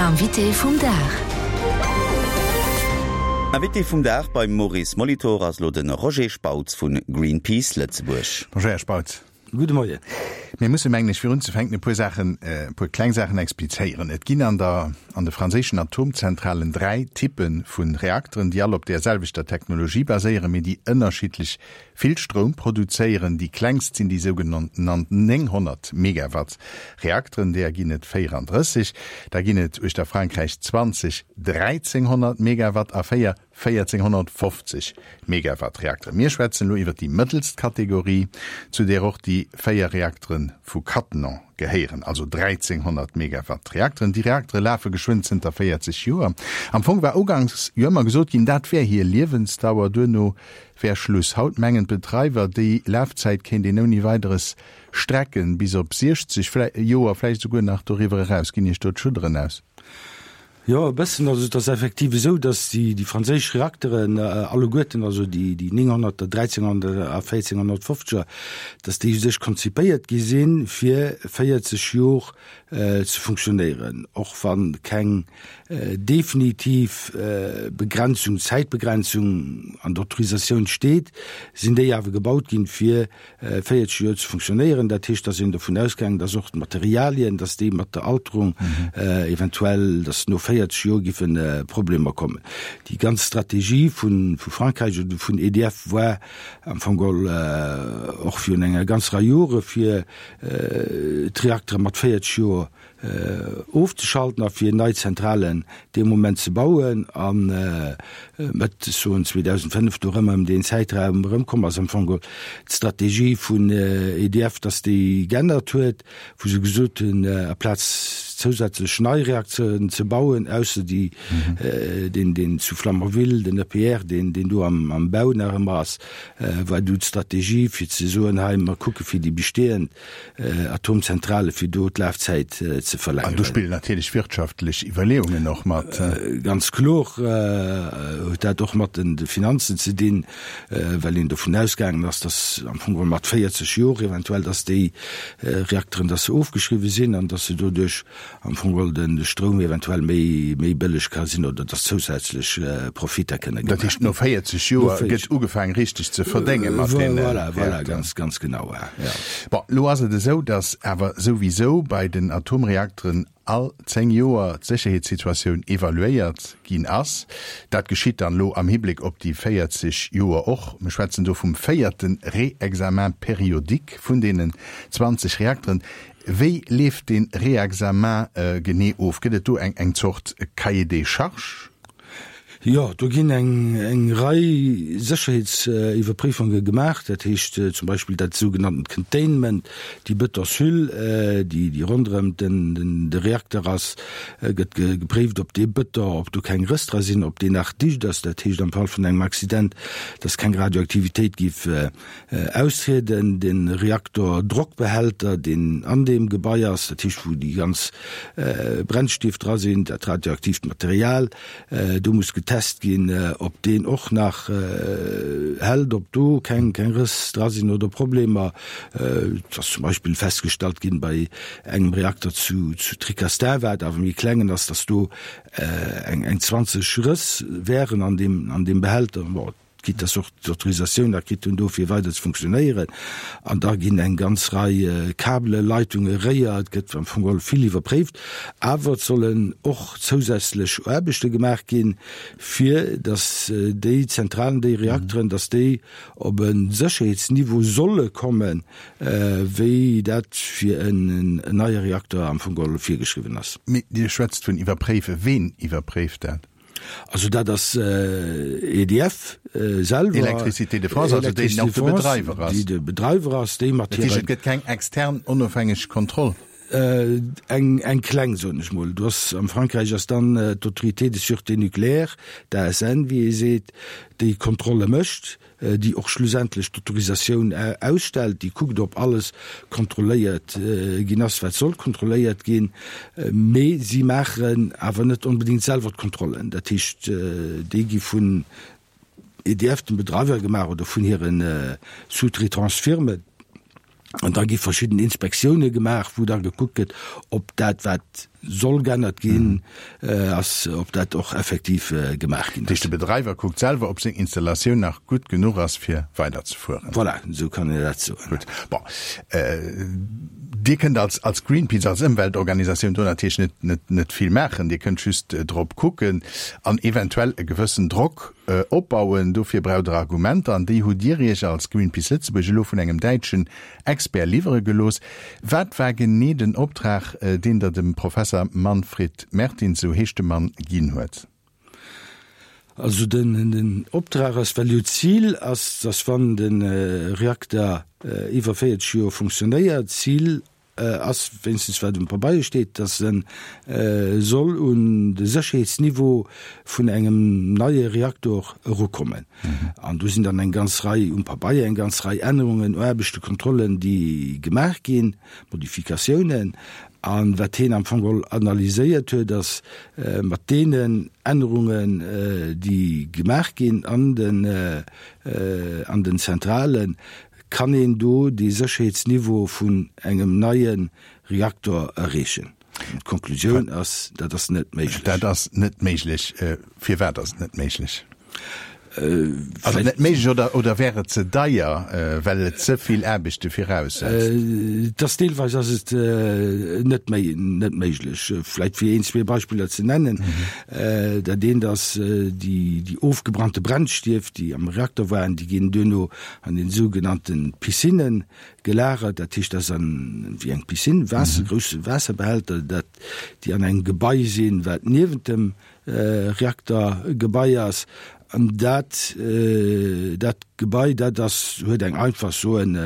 Invité vum Dag. Invité vum Dag beim Maurice Molitor ass elo de Roger Spautz vu Greenpeace Lëtzebuerg. Bonjour Här Spautz. Gudde Moien. Mir musse mengen ech virunzefänken e puer Saachen, e puer kleng Saachen explizéieren. Et ginn an der, an de franséischen Atomzentralen 3 Typpe vu Reakteren, déi all op där selwechter Technologie baséieren, mee déi ënnerschiddlech vill Stroum produzéieren. Déi klengst sinn déi sougenannt 900 Megawatt Reakteren, deeër ginn et 34. Da ginn et uechter Frankräich 20 1.300 Megawatt a 4 1.450 Megawatt Reakteren. Mir schwätzen elo iwwer déi mëttelst Kategorie, zu där och déi 4 Reaktere vu Cattenom gehéieren, also 1.300 Megawatt Reakteren. Déi Reaktere lafe geschwënn zënter 40 Joer. Am Fong war uganks jo ëmmer gesot ginn, dat wär hir Liewensdauer, duerno wär Schluss. Haut mengen d'Bedreiwer, déi Lafzäit kéint een ouni Weideres strecken, bis op 60 Joer, vläicht esouguer nach doriwwer eraus. Ginn Iech do d'Schudderen aus? Jo, e bëssen. Also et ass effektiv esou, datt déi, déi franséisch Reakteren alleguerten, also déi, déi 900er, 1300er a 1450er, datt déi u sech konzipéiert gi sinn, fir 40 Jor ze funktionéieren, och wa keng definitiv Begrenzung, Zäitbegrenzung an der Autorisatioun steet, sinn déi awer gebaut ginn, fir 40 Joer ze funktionéieren. Dat heescht, da sinn dovun ausgaangen, dass och d'Materialien, dass déi mat der Alterung eventuell, dass no 40 Joer giffe Problemer kommen. Déi ganz Strategie vu Frankräich oder vun EDF war am Fong geholl och virun enger ganz Rei Jore fir d'Reaktere mat 40 Joer ofzeschalten a fir nei Zentralen dee Moment ze bauen a Mëtt, ech soen 2005, do erëm ëm deen Zäitraum erëmkomm ass am Fong geholl d'Strategie vun EDF, datt déi geännert huet, wou se gesot hunn, aplaz zousätzlech nei Reakteuren ze bauen, ausser déi, deen, deen zu Flamanville, den EPR, deen, deen do am, am Bau nach ëmmer ass, war du d'Strategie fir ze soen, hei mer kucke fir déi bestehend Atomzentrale fir do d'Lafzäit ze verlängeren. An do spillen natierlech wirtschaftlech Iwwerleeungen och mat. Ganz kloer huet dat och mat de Finanzen ze dinn, well een dovun ausgaangen ass, datt am Fong geholl mat 40 Jor eventuell, datt déi Reakteren, datt se ofgeschriwwen sinn an datt se doduerch am Fong geholl de Stroum eventuell méi méi bëlleg ka sinn oder dass zousätzlech Profitter kënne gemaach ginn. Dat heescht, no 40 Joer gëtt ugefaang richteg ze verdénge mat deene Voilà, voilà, ganz, ganz genau, ja. Bon, elo ass et esou, dass awer souwisou bei den Atomreakteren all 10 Joer d'Sécherheetssituatioun evaluéiert ginn ass. Dat geschitt dann elo am Hibléck op déi 40 Joer och. Mir schwätzen do vum véierte Réexamen périodique vun deenen 20 Reakteren. Wéi leeft dee Réexamen genee of? Gëtt et do eng Zort Cahier des charges? Jo, do ginn eng Rei Sécherheetsiwwerpréifunge gemaach. Dat heescht zum Beispill dat sougenanntent Containment, déi Bëtonshüll, déi ronderëm de Reakter ass, gëtt gepréift, ob dee Bëton, ob do keng Rëss dra sinn, ob deen nach dicht ass. Dat heescht am Fall vun engem Accident, dass keng Radioaktivitéit géif Austrieden, den Reaktordrockbehälter, deen an deem Gebai ass, dat heescht wou déi ganz Brennstief dra sinn, dat radioaktiivt Material, do muss getest ginn, ob deen och nach hält, ob do keng keng Rëss dra sinn oder Problemer. Et ass zum Beispill festgestallt ginn bei engem Reakter zu zu Tricastin, wat awer méi klengen ass, datt do eng eng 20 Rëss wären an deem an deem Behälter. Bon, quitte dass och d'Autorisatioun nach kritt hunn do fir weider ze funktionéieren, an da ginn eng ganz Rei Kabelen, Leitungen, Réier, et gëtt am Fong geholl vill iwwerpréift, awer et sollen och zousätzlech Aarbechte gemaach ginn, fir dass déi Zentralen, déi Reakteren, dass déi op e Sécherheetsniveau solle kommen, wéi dat fir en neie Reakter am Fong geholl virgeschriwwen ass. Mee Dir schwätzt vun iwwerpréiwen. Ween iwwerpréift dat? Also dat ass EDF selwer. Électricité de France, also déi och de Bedreiwer ass. Déi de Bedreiwer ass, déi mat hiren. Dat heescht, et gëtt keng extern onofhängeg Kontroll? Eng, eng kleng, soen ech mol. Du ass, am Frankräich ass dann d'Autorité de sûreté nucléaire, d'ASN, wéi ee seet, déi Kontrolle mécht. déi och schlussendlech d'Autorisatioun ausstellt, déi kuckt, ob alles kontrolléiert ginn ass, wat soll kontrolléiert ginn, mee si maachen awer net onbedéngt selwer d'Kontrollen. Dat heescht, déi gi vun EDF, dem Bedreiwer, gemaach oder vun hire soll geännert ginn ass, ob dat och effektiv gemaach ginn ass. Dat heescht, de Bedreiwer kuckt selwer, ob seng Installatioun nach gutt genuch ass, fir weiderzefueren. Voilà, esou kann een dat soen. Gutt. Bon, Dir kënnt als, als Greenpeace, als Ëmweltorganisatioun do natierlech net, net, net vill maachen. Dir kënnt just drop kucken an eventuell e gewëssen Drock opbauen. Dofir braucht Der Argumenter an déi hutt Dir Iech als Greenpeace Lëtzebuerg elo vun engem däitschen Expert liwwere gelooss. Wat war genee den Optrag, deen Der dem Professer Manfred Mertins, esou heescht de Mann, ginn huet? Also den Optrag ass, well jo d'Zil ass, dass wann de Reakter iwwer 40 Joer funktionéiert, d'Zil ass, wéinstens wat um Pabeier steet, dass e soll un de Sécherheetsniveau vun engem neie Reaktor erukommen. An do sinn dann eng ganz Rei, um Pabeier, eng ganz Rei Ännerungen, Aarbechten, Kontrollen, déi gemaach ginn, Modifikatiounen. A wat hien am Fong geholl analyséiert huet, ass, mat deenen Ännerungen, déi gemaach ginn an den, an den Zentralen, kann een do dee Sécherheetsniveau vun engem neie Reaktor erreechen. D'Konklusioun ass, dat ass net méiglech. Dat ass net méiglech. Firwat ass et net méiglech? Ass et net méiglech oder, oder wär et ze deier, well et ze vill Aarbechte viraussetzt? Et ass deelweis ass et net méi, net méiglech. Vläicht fir een, zwee Beispiller ze nennen. Dat eent ass déi, déi ofgebrannte Brennstief, déi am Reakter waren, déi ginn duerno an den sougenannte Piscinnen gelagert, dat heescht, dat ass an wéi eng Piscine, Waasser, grousse Waasserbehälter, dat déi an engem Gebai sinn, wat niewent dem Reaktergebai ass. An dat dat Gebai, dat ass, huet eng einfach soen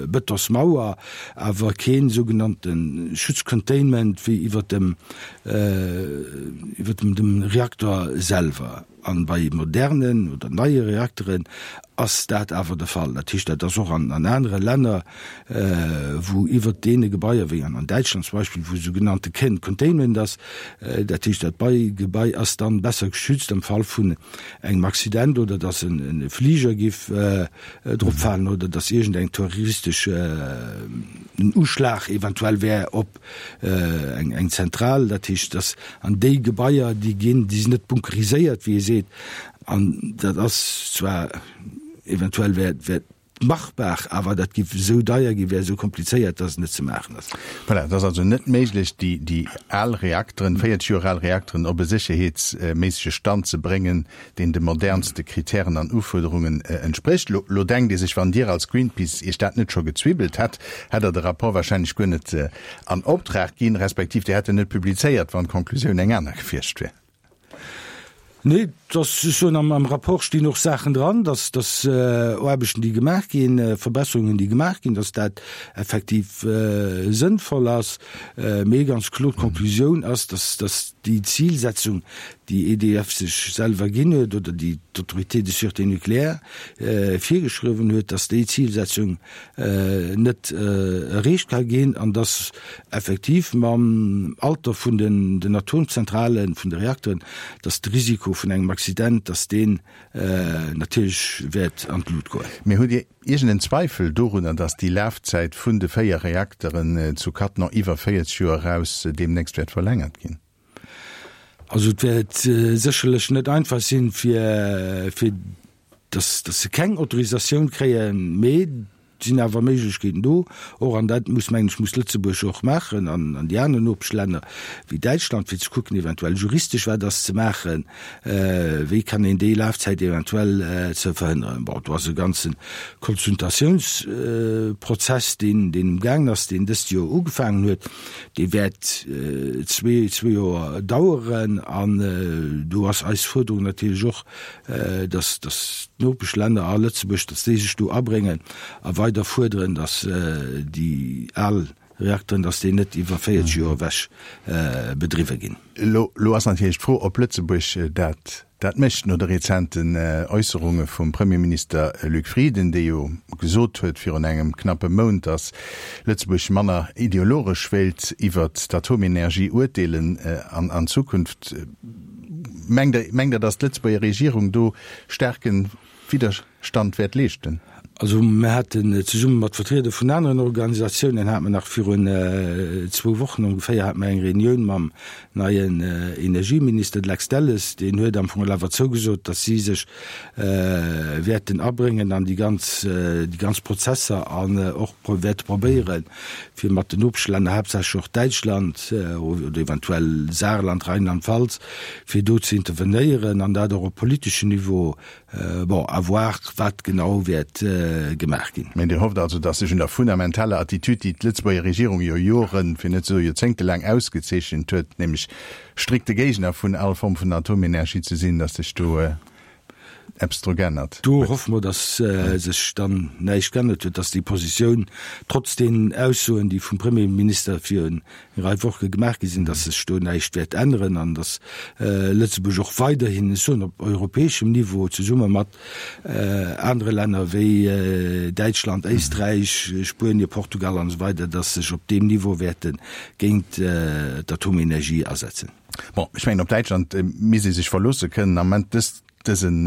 Betonsmauer, awer keen sougenannte Schutzcontainment wéi iwwert dem iwwert dem dem Reakter selwer. An bei modernen oder neie Reakteren ass dat awer de Fall. Dat heescht, dat ass och an anere Länner, wou iwwert deene Gebaier, wéi an Däitschland zum Beispill, wou sougenannte Containment ass, dat heescht, dat Gebai ass dann besser geschützt am Fall vun engem Accident oder dass e Fliger giff drop falen oder dass iergendeng terroristesch Uschlag eventuell wär op eng Zentral, dat heescht, dass an déi Gebaier, déi ginn, déi sinn net bunkeriséiert, wéi ee seet, an dat ass zwar eventuell wär, wär machbar, awer dat giff esou deier ginn, wär esou komplizéiert, dass et net ze maachen ass. Voilà, et ass also net méiglech, déi, déi al Reakteren, 40 Joer al Reakteren op e sécherheetsméissege Stand ze bréngen, deen de modernste Kritären an Ufuerderungen entsprécht. Lo, lo denkt ee sech, wann Dir als Greenpeace Iech dat net scho gezwiwwelt hätt, hätt Der de Rapport wahrscheinlech guer net an Optrag ginn, respektiv Dir hätt en net publizéiert, wann d'Konklusioun eng aner gewiescht wier. Nee, dass, ech soen, am, am Rapport stinn och Saachen dran, dass, dass Aarbechten, déi gemaach ginn, Verbesserungen, déi gemaach ginn, dass dat effektiv sënnvoll ass. Mee ganz kloer, d'Konklusioun ass, dass, dass déi Zilsetzung, déi EDF sech selwer ginn huet oder déi d'Autorité de sûreté nucléaire virgeschriwwen huet, dass déi Zilsetzung net erreecht ka ginn an dass effektiv mam Alter vun den Atomzentralen, vun de Reakteren, dass de Risiko vun engem Accident, dass deen natierlech wäert an d'Lut goen. Mee hutt Dir iergend en Zweifel dorunner, dass déi Lafzäit vun de 4 Reakteren zu Cattenom iwwer 40 Joer eraus deemnächst wäert verlängert ginn? Also et wäert sécherlech net einfach sinn, fir fir dass dass se keng Autorisatioun kréien, mee et sinn awer Méiglechkeeten do och, an dat muss, mengen ech, muss Lëtzebuerg och maachen an an déi aner Nopeschlänner wéi Däitschland, fir ze kucken eventuell juristesch wat ass ze maachen, wéi kann een déi Lafzäit eventuell ze verhënneren. Bon, do ass e ganze Konsultatiounsprozess, deen deen um gaangen ass, deen dëst Joer ugefaangen huet. Dee wäert zwee Joer daueren an do ass eis Fuerderung natierlech och, datt d'Nopeschlänner a Lëtzebuerg, datt déi sech do abréngen a weider fuerderen, datt déi al Reakteren, datt déi net iwwer 40 Joer ewech bedriwwe ginn. Elo ass natierlech d'Fro, ob Lëtzebuerg dat Dat mécht no de rezenten Äusserunge vum Premierminister Luc Frieden, dee jo gesot huet virun engem knappe Mount, datt Lëtzebuerg manner ideologesch wéilt iwwert d'Atomenergie urteelen an Zukunft. Mengt Der, mengt Der, datt d'Lëtzebuerger Regierung do staarke Widderstand wäert leeschten? Also mir haten zesumme mat Vertrieder vun aneren Organisatiounen, hate mer nach virun zwou Wochen ongeféier, hate mer eng Reunioun mam neien Energieminister, de Lex Delles. Deen huet am Fong awer zougesot, datt si sech wäerten abréngen an déi ganz, déi ganz Prozesser an och wäerte probéieren, fir mat den Nopeschlänner, haaptsächlech och Däitschland oder eventuell Saarland, Rheinland-Pfalz, fir do ze intervenéieren an dat och op politeschem Niveau Bon, à voir, wat genau wäert gemaach ginn. Mä Dir hofft also, datt sech un der fundamentaler Attitüd, déi d'Lëtzebuerger Regierung jo Joren, fir net ze soe joerzéngtelaang ausgezeechent huet, nämlech strikte Géigner vun all Form vun Atomenergie ze sinn, datt sech do eppes dru g'ännert Do huet? hoffe mer, datt sech dann näischt g'ännert huet, datt déi Positioun, trotz deenen Aussoen, déi vum Premierminister virun eng Rei Woche gemaach gi sinn, dass sech do näischt wäert änneren an dass Lëtzebuerg och weiderhin, ech soen op europäeschem Niveau, zesumme mat anere Länner wéi Däitschland, Éisträich, Spuenie, Portugal an esou weider, dass sech op deem Niveau wäerte géint d'Atomenergie asetzen. Bon, ech mengen op Däitschland misst ee sech verloosse kënnen am Moment. Dës, dësen.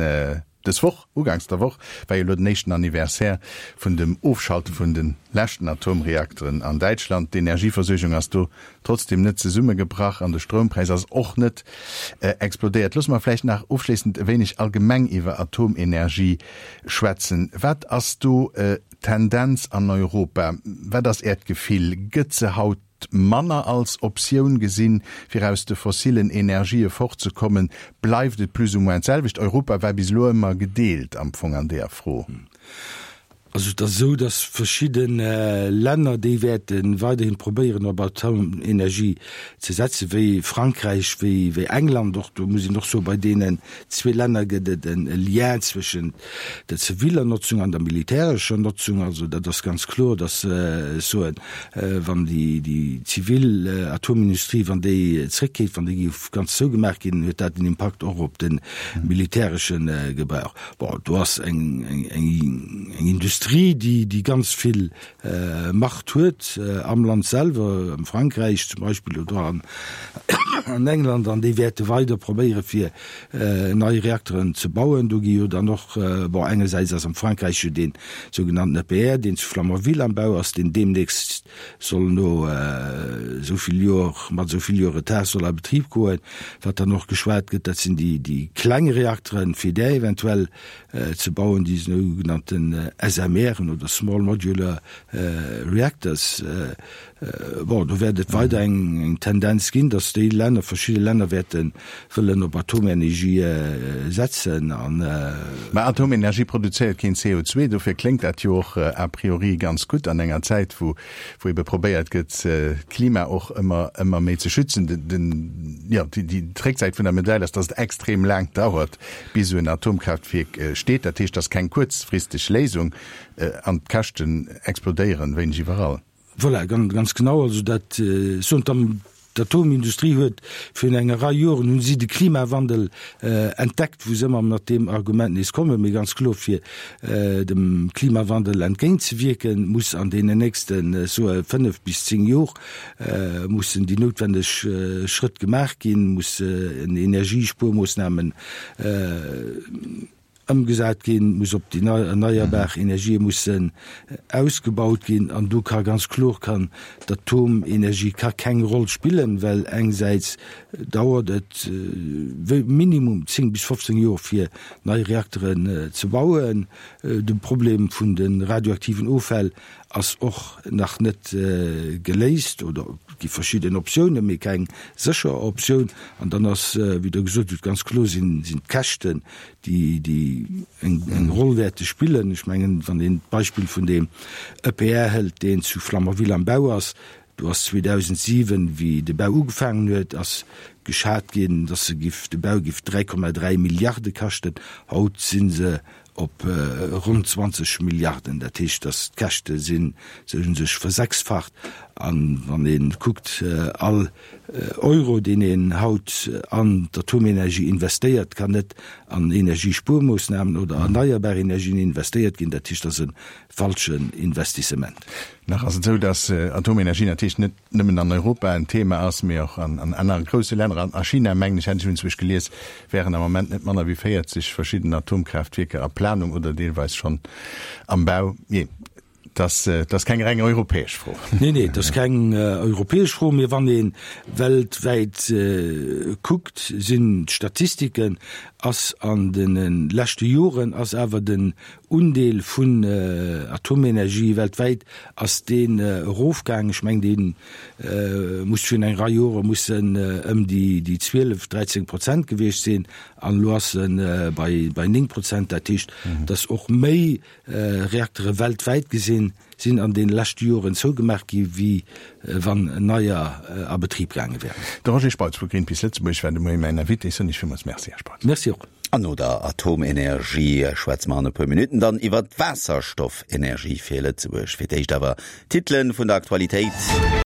Dës Woch, uganks der Woch, war jo elo den éischten Anniversaire vun dem Ofschalte vun de leschten Atomreakteren an Däitschland. D'Energieversuergung ass do trotzdeem net zesummegebrach an de Stroumpräis ass och net explodéiert. Loosse mer vläicht nach ofschléissend e wéineg allgemeng iwwer Atomenergie schwätzen. Wat ass do d'Tendenz an Europa? Wat ass Äert Gefill? Gëtt se haut manner als Optioun gesinn, fir aus de fossilen Energië fortzekommen? Bleift et plus ou moins d'selwecht? Europa war bis elo ëmmer gedeelt am Fong an deeër Fro. Also et ass esou, datt verschidde Länner, déi wäerte weiderhin probéieren op Atomenergie ze setzen, wéi Frankräich, wéi England och. Do muss een och soen, bei deenen zwee Länner gëtt et e Lien zwëschent der ziviller Notzung an der militärescher Notzung. Also dat ass ganz kloer, datt ech soen, wann déi zivil Atomindustrie, wann déi zréckgeet, wann déi géif ganz zougemaach ginn, huet dat en Impakt och op de militäresche Gebrauch. Bon, do ass eng Industrie, déi ganz vill Macht huet am Land selwer, am Frankräich zum Beispill oder an England, an déi wäerte weider probéiere fir nei Reakteren ze bauen. Do gi jo dann och, bon, engersäits ass am Frankräich jo dee sougenannten EPR, deen zu Flamanville am Bau ass, deen deemnächst soll no esou vill Joer, mat esou vill Joer Retard soll a Betrib goen. Wat dann och geschwat gëtt, dat sinn déi kleng Reakteren, fir där eventuell ze bauen, déi sougenannten SMRen oder Small Modular Reactors. Bon, do wäert et weider eng Tendenz ginn, datt déi Länner, verschidde Länner wäerte wëllen op Atomenergie setzen an. Mä Atomenergie produzéiert keen CO2, dofir kléngt dat jo och a priori ganz gutt an enger Zäit, wou wou ebe probéiert gëtt, d'Klima och ëmmer, ëmmer méi ze schützen. Den, jo, déi d'Récksäit vun der Medail ass, datt et extrem laang dauert, bis esou en Atomkraaftwierk steet. Dat heescht, dat ass keng kuerzfristeg Léisung an d'Käschten explodéieren wéineg iwwerall. Voilà, ganz genau. Also dat, ech soen, d'Atomindustrie huet virun enger Rei Joren hu si de Klimawandel entdeckt, wou se ëmmer mat deem Argument nees kommen. Mee ganz kloer, fir dem Klimawandel entgéintzewierken, muss an deenen nächsten, ech soe 5 bis 10 Jor, mussen déi noutwendeg Schrëtt gemaach ginn, mussen Energiespuermoossnamen Ëmgesat ginn, muss op déi erneierbar Energië mussen ausgebaut ginn. An do ka ganz kloer kann d'Atomenergie ka keng Roll spillen, well engsäits dauert et minimum 10 bis 15 Joer fir nei Reakteren ze bauen. De Problem vun de radioaktiven Offäll ass och nach net geléist oder et gi verschidden Optiounen, mee keng sécher Optioun. An dann ass, wéi Der gesot hutt, ganz kloer sinn d'Käschten déi déi eng eng Roll wäerte spillen. Ech mengen, wann een d'Beispill vun deem EPR hëlt, deen zu Flamanville am Bau ass, do ass 2007, wéi de Bau ugefaangen huet, ass geschat ginn, dass se giff, de Bau giff 3,3 Milliarde kaschten. Haut si se op ronn 20 Milliarden. Dat heescht, dass d'Käschte sinn, se hu sech versechsfacht. An wann ee kuckt, all Euro, deen een haut an d'Atomenergie investéiert, kann net an Energiespuermoossnamen oder erneierbar Energien investéiert ginn. Dat heescht, dat ass e falschen Investissement. Nach ass et esou, datt Atomenergie natierlech net nëmmen an Europa en Thema ass, mee och an anere grousse Länner. An a China, mengen ech, hätt ech iergendwou gelies, wären am Moment net manner wéi 40 verschidden Atomkraaftwierker a Pläng. Planung oder deelweis schonn am Bau. Jee, dat ass keng reng europäesch Fro. Nee, nee, dat ass keng europäesch Fro. Mee wann ee weltwäit kuckt, sinn d'Statistiken, ass an de leschte Joren ass awer den Undeel vun Atomenergie weltwäit ass deen erofgaangen. Ech mengen, dee muss virun eng Rei Jore muss en ëm déi 12, 13 Prozent gewiescht sinn an elo ass e bei 9 Prozent. Dat heescht, datt och méi Reaktere weltwäit gesinn sinn an deene leschte Joren zougemaach gi wéi wann neier a Betrib gaange wären. De Roger Spautz vu Greenpeace Lëtzebuerg war de Moie mäin Invité. Soen Iech villmools Merci, Här Spautz. Merci och. An no der Atomenergie schwätze mer an e puer Minutten dann iwwer d'Waasserstoffenergie fir Lëtzebuerg. Fir d'éischt awer d'Titele vun der Aktualitéit.